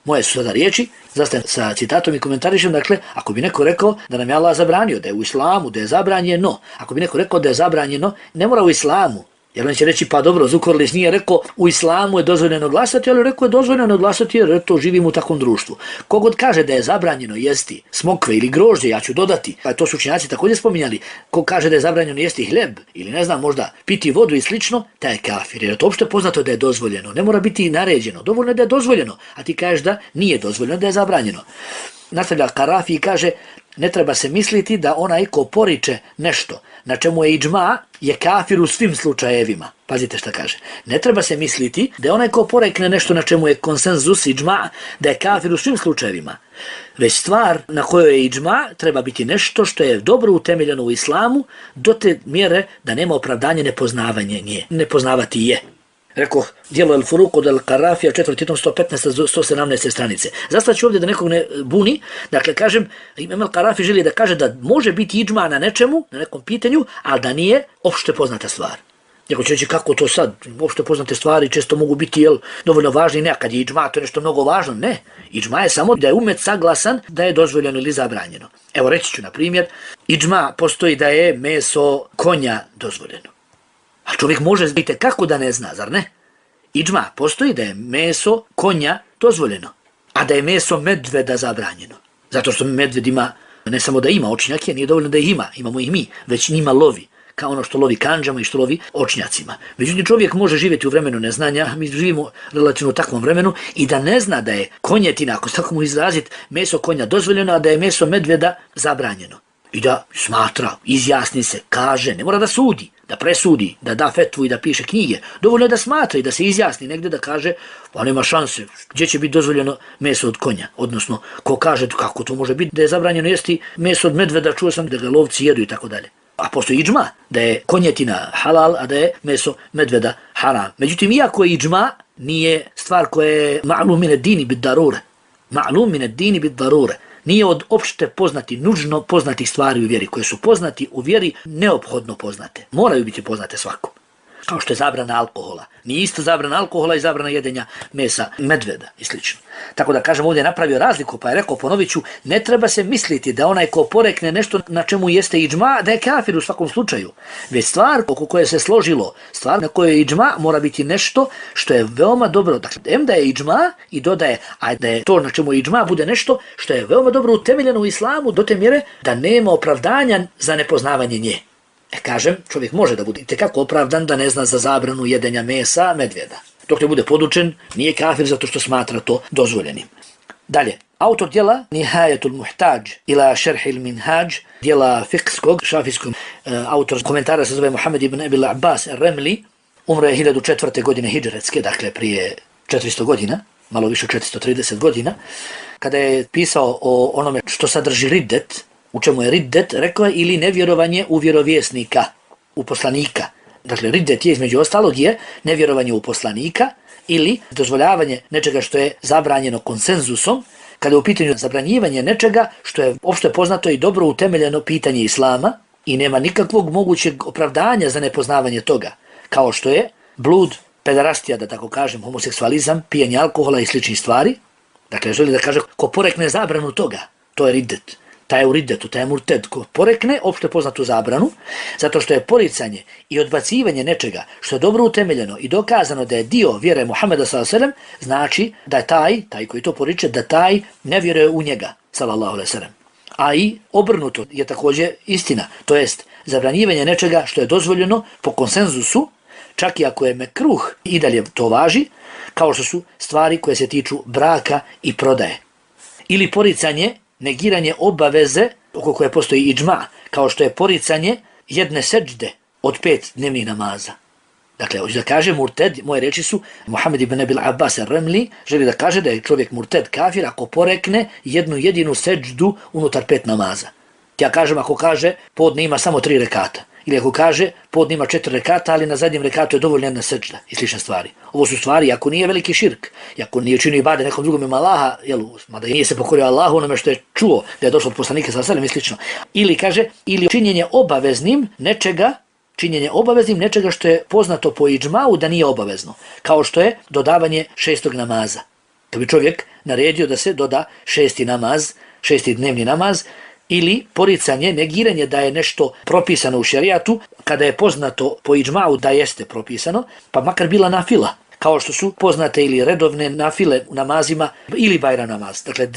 Moje su sada riječi, zastajem sa citatom i komentarišem, dakle, ako bi neko rekao da nam je Allah zabranio, da je u islamu, da je zabranjeno, ako bi neko rekao da je zabranjeno, ne mora u islamu, jer on će reći, pa dobro, Zukorlić nije rekao u islamu je dozvoljeno glasati, ali rekao je dozvoljeno glasati jer to živimo u takvom društvu. Kogod kaže da je zabranjeno jesti smokve ili grožđe, ja ću dodati, a to su učenjaci također spominjali, ko kaže da je zabranjeno jesti hljeb ili ne znam, možda piti vodu i slično, taj je kafir, jer je to uopšte poznato da je dozvoljeno, ne mora biti naređeno, dovoljno je da je dozvoljeno, a ti kažeš da nije dozvoljeno, da je zabranjeno. Nastavlja Qarafi i kaže, ne treba se misliti da onaj ko poriče nešto na čemu je iđma je kafir u svim slučajevima. Pazite šta kaže. Ne treba se misliti da onaj ko porekne nešto na čemu je konsenzus iđma, da je kafir u svim slučajevima. Već stvar na kojoj je iđma treba biti nešto što je dobro utemeljeno u islamu do te mjere da nema opravdanje nepoznavanje nje. Nepoznavati je. Rekao, dijelo al-Furuq od al-Qarafija, 4. tom 115. do 117. stranice. Zastaću ovdje da nekog ne buni, dakle kažem, imam al-Qarafi želi da kaže da može biti iđma na nečemu, na nekom pitanju, ali da nije opšte poznata stvar. Neko će reći kako to sad, opšte poznate stvari često mogu biti dovoljno važni, ne, kad je iđma to je nešto mnogo važno, ne. Iđma je samo da je umet saglasan da je dozvoljeno ili zabranjeno. Evo reći ću na primjer, iđma postoji da je meso konja dozvoljeno. A čovjek može biti kako da ne zna, zar ne? Iđma postoji da je meso konja dozvoljeno, a da je meso medveda zabranjeno. Zato što medved ima, ne samo da ima očnjake, nije dovoljno da ih ima, imamo ih mi, već njima lovi, kao ono što lovi kandžama i što lovi očnjacima. Međutim, čovjek može živjeti u vremenu neznanja, mi živimo relativno u takvom vremenu i da ne zna da je konjetina, ako se tako mu izraziti, meso konja dozvoljeno, a da je meso medveda zabranjeno. i da smatra, izjasni se, kaže, ne mora da sudi, da presudi, da da fetvu i da piše knjige. Dovoljno je da smatra i da se izjasni negdje da kaže, pa nema šanse, gdje će biti dozvoljeno meso od konja, odnosno ko kaže kako to može biti da je zabranjeno jesti meso od medveda, čuo sam da ga lovci jedu i tako dalje. A postoji idžma da je konjetina halal, a da je meso medveda haram. Međutim, iako je idžma, nije stvar koja je ma'lum min ad-dini bid-darure. Ma'lum min ad-dini bid-darure. Nije od opšte poznati, nužno poznatih stvari u vjeri, koje su poznati u vjeri, neophodno poznate. Moraju biti poznate svakom. Kao što je zabrana alkohola. Nije isto zabrana alkohola i zabrana jedenja mesa medveda i sl. Tako da kažem, ovdje je napravio razliku, pa je rekao, ponovit ću, ne treba se misliti da onaj ko porekne nešto na čemu jeste idžma, da je kafir u svakom slučaju. Već stvar oko koje se složilo, stvar na kojoj je idžma, mora biti nešto što je veoma dobro. Dakle, da je idžma i dodaje, a da je to na čemu je idžma bude nešto što je veoma dobro utemeljeno u islamu do te mjere da nema opravdanja za nepoznavanje nje. Kažem, čovjek može da bude itekako opravdan da ne zna za zabranu jedenja mesa medvjeda. Dok ne bude podučen, nije kafir zato što smatra to dozvoljenim. Dalje, autor djela Nihayatul Muhtaj ila Šerhil Minhaj, djela fikskog, šafijskog, autor komentara se zove Muhammed ibn Abil Abbas Remli, umro je 1004. godine hidžretske, dakle prije 400 godina, malo više 430 godina, kada je pisao o onome što sadrži riddet, u čemu je riddet, rekao je, ili nevjerovanje u vjerovjesnika, u poslanika. Dakle, riddet je između ostalog je nevjerovanje u poslanika ili dozvoljavanje nečega što je zabranjeno konsenzusom, kada je u pitanju zabranjivanje nečega što je opšte poznato i dobro utemeljeno pitanje islama i nema nikakvog mogućeg opravdanja za nepoznavanje toga, kao što je blud, pedarastija, da tako kažem, homoseksualizam, pijenje alkohola i sličnih stvari. Dakle, želi da kaže, ko porekne zabranu toga, to je riddet. Taj je u riddetu, taj je murted, ko porekne opšte poznatu zabranu, zato što je poricanje i odbacivanje nečega što je dobro utemeljeno i dokazano da je dio vjere Muhameda s.a.v. znači da je taj koji to poriče, da taj ne vjeruje u njega, s.a.v. A i obrnuto je također istina, to jest zabranjivanje nečega što je dozvoljeno po konsenzusu, čak i ako je mekruh i dalje to važi, kao što su stvari koje se tiču braka i prodaje. Ili poricanje, negiranje obaveze oko koje postoji idžma, kao što je poricanje jedne seđde od 5 dnevnih namaza. Dakle, hoće da kaže murted, moje reči su, Muhammed ibn Abil Abbas Remli želi da kaže da je čovjek murted kafir ako porekne jednu jedinu seđdu unutar 5 namaza. Ja kažem, ako kaže podne ima samo 3 rekata, ili ako kaže podne ima 4 rekata, ali na zadnjem rekatu je dovoljna jedna seđda i slične stvari. Ovo su stvari, ako nije veliki širk, ako nije činio ibade nekom drugom ima Allaha, mada nije se pokorio Allahu onome što je čuo da je došlo od poslanika s.a.v. i slično. Ili kaže, ili činjenje obaveznim nečega što je poznato po idžmau da nije obavezno, kao što je dodavanje 6. namaza. To bi čovjek naredio da se doda 6. namaz, 6. dnevni namaz, ili poricanje, negiranje da je nešto propisano u šerijatu, kada je poznato po idžmau da jeste propisano, pa makar bila nafila, kao što su poznate ili redovne nafile u namazima ili bajram namaz. Dakle,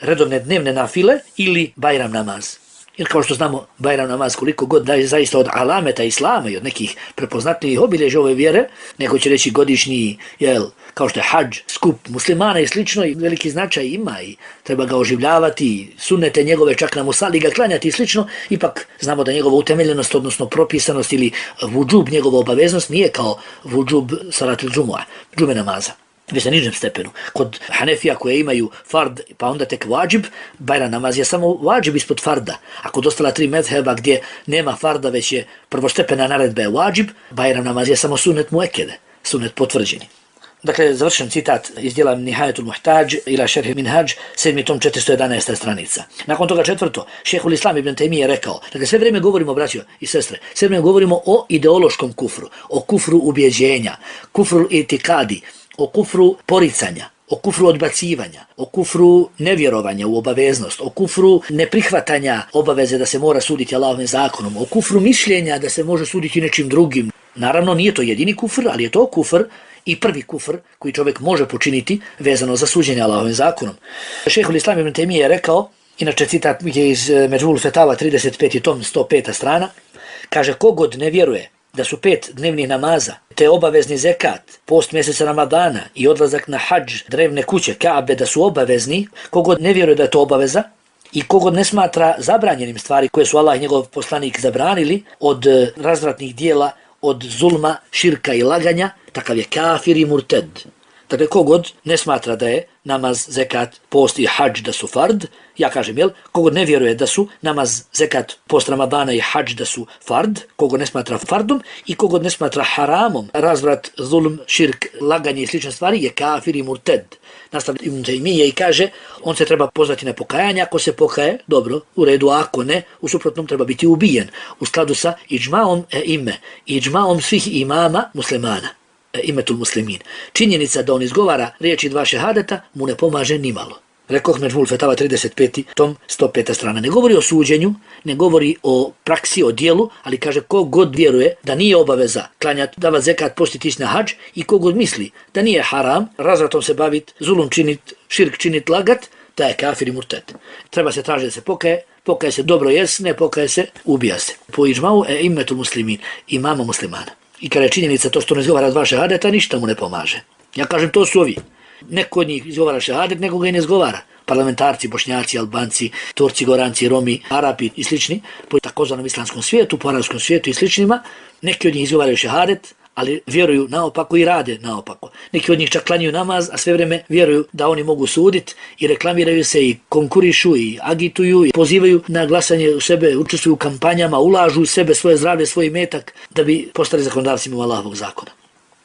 redovne dnevne nafile ili bajram namaz. Jer kao što znamo, bajram namaz koliko god da je zaista od alameta islama i od nekih prepoznatljivih obilježja ove vjere, neko će reći godišnji, kao što je hadž, skup muslimana i slično, i veliki značaj ima i treba ga oživljavati, sunnete njegove čak na musali ga klanjati i slično, ipak znamo da njegova utemeljenost, odnosno propisanost ili vudžub, njegova obaveznost nije kao vudžub salatul džume namaza. Već na nižem stepenu. Kod Hanefija koje imaju fard, pa onda tek vađib, bajram namaz je samo vađib ispod farda. A kod ostala 3 medheba gdje nema farda, već je prvostepena naredba je vađib, bajram namaz je samo sunnet muekede, sunnet potvrđeni. Dakle, završen citat iz djela Nihayatul Muhtaj ila Šerh Minhaj, 7. tom 411. stranica. Nakon toga 4. Šehhul Islam ibn Tejmije je rekao, dakle sve vrijeme govorimo, braćo i sestre, sve vrijeme govorimo o ideološkom kufru, o kufru ubjeđenja, kufru itikadi, o kufru poricanja, o kufru odbacivanja, o kufru nevjerovanja u obaveznost, o kufru neprihvatanja obaveze da se mora suditi Allahovim zakonom, o kufru mišljenja da se može suditi nečim drugim. Naravno, nije to jedini kufr, ali je to kufr i prvi kufr koji čovjek može počiniti vezano za suđenje Allahovim zakonom. Šejhul Islam ibn Tejmije je rekao, inače citat je iz Međmul Fetava 35. tom 105. strana, kaže, kogod ne vjeruje da su 5 dnevnih namaza, te obavezni zekat, post mjeseca Ramadana i odlazak na hadž drevne kuće Kaabe da su obavezni, kogod ne vjeruje da je to obaveza I kogod ne smatra zabranjenim stvari koje su Allah i njegov poslanik zabranili od razvratnih dijela, od zulma, širka i laganja, takav je kafir i murted. Dakle, kogod ne smatra da je namaz, zekat, post i hadž da su fard, ja kažem, kogod ne vjeruje da su namaz, zekat, post Ramadana i hadž da su fard, kogod ne smatra fardom i kogod ne smatra haramom, razvrat, zulm, širk, laganje i slične stvari je kafir i murted. Nastavlja Ibn Taymije i kaže, on se treba pozvati na pokajanje, ako se pokaje, dobro, u redu, ako ne, u suprotnom treba biti ubijen, u skladu sa iđmaom iđmaom svih imama muslimana. Imetul muslimin. Činjenica da on izgovara riječi dva šehadeta mu ne pomaže nimalo. Rekoh Međmul Fetava 35. tom 105. strana. Ne govori o suđenju, ne govori o praksi, o dijelu, ali kaže kogod vjeruje da nije obaveza klanjati, davat zekat, postiti na hadž i kogod misli da nije haram, razvratom se bavit, zulum činit, širk činit, lagat, da je kafir i murted. Treba se tražiti da se pokaje se dobro ne pokaje se, ubija se. Po iđmau imetul muslimin, imama muslimana. I kada je činjenica to što ne izgovara dva šehadeta, ništa mu ne pomaže. Ja kažem, to su ovi. Neko od njih izgovara šehadet, neko ga i ne izgovara. Parlamentarci, Bošnjaci, Albanci, Turci, Goranci, Romi, Arapi i slični, po takozvanom islamskom svijetu, po arapskom svijetu i sličnima, neki od njih izgovaraju šehadet, ali vjeruju naopako i rade naopako. Neki od njih čak klanjaju namaz, a sve vrijeme vjeruju da oni mogu suditi i reklamiraju se i konkurišu i agituju i pozivaju na glasanje u sebe, učestvuju u kampanjama, ulažu u sebe svoje zdravlje, svoj imetak da bi postali zakonodavcima Allahovog zakona.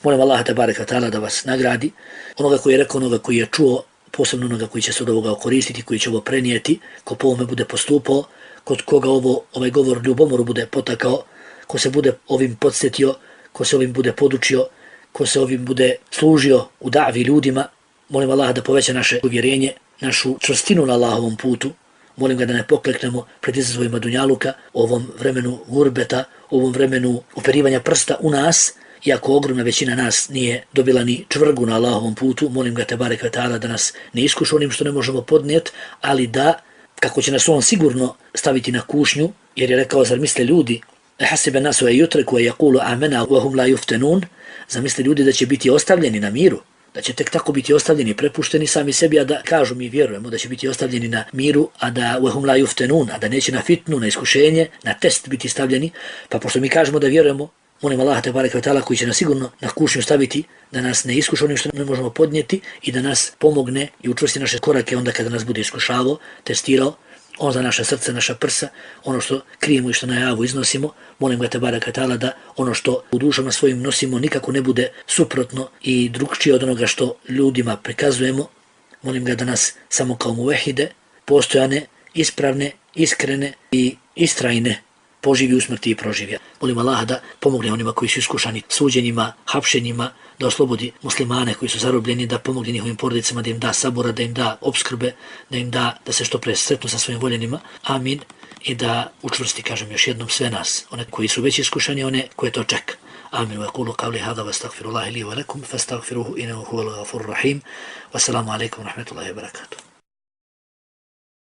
Molim Allaha tebareka ta'ala da vas nagradi, onoga koji je rekao, onoga koji je čuo, posebno onoga koji će se od ovoga koristiti, koji će ovo prenijeti, ko po ovome bude postupao, kod koga ovaj govor ljubomoru bude potakao, ko se bude ovim podsjetio, ko se ovim bude podučio, ko se ovim bude služio u davi ljudima. Molim Allaha da poveća naše uvjerenje, našu čvrstinu na Allahovom putu. Molim ga da ne pokleknemo pred izazovima dunjaluka, ovom vremenu gurbeta, ovom vremenu uperivanja prsta u nas, iako ogromna većina nas nije dobila ni čvrgu na Allahovom putu. Molim ga tebareke ve ta'ala da nas ne iskuša onim što ne možemo podnijeti, ali da, kako će nas on sigurno staviti na kušnju, jer je rekao, zar misle ljudi, hasibe nasu yutreku yaqulu amana wa hum la yuftanun, zamisle ljudi da će biti ostavljeni na miru, da će tek tako biti ostavljeni, prepušteni sami sebi, a da kažu mi vjerujemo da će biti ostavljeni na miru, a da wa hum la yuftanun, a da neće na fitnu, na iskušenje, na test biti stavljeni. Pa pošto mi kažemo da vjerujemo, molim Allaha tebareke ve ta'ala koji će nas sigurno na kušnju staviti, da nas ne iskuša onim što ne možemo podnijeti i da nas pomogne i učvrsti naše korake onda kada nas bude iskušavao, testirao. On za naše srce, naša prsa, ono što krijemo i što na javu iznosimo. Molim ga tebareke ve ta'ala da ono što u dušama svojim nosimo nikako ne bude suprotno i drugčije od onoga što ljudima prikazujemo. Molim ga da nas samo kao muvehide, postojane, ispravne, iskrene i istrajne poživi u smrti i proživlja. Molim Allaha da pomogne onima koji su iskušani suđenjima, hapšenjima, da oslobodi muslimane koji su zarobljeni, da pomogne njihovim porodicama, da im da sabora, da im da obskrbe, da im da se što pre sretnu sa svojim voljenima. Amin. I da učvrsti, kažem još jednom, sve nas, one koji su već iskušani, one koje to čeka. Amin. Wa yaqulu qawli hadha wa astaghfirullaha li wa lakum fastaghfiruhu innahu huwal ghafurur rahim. Wassalamu alaikum wa rahmatullahi wa barakatuh.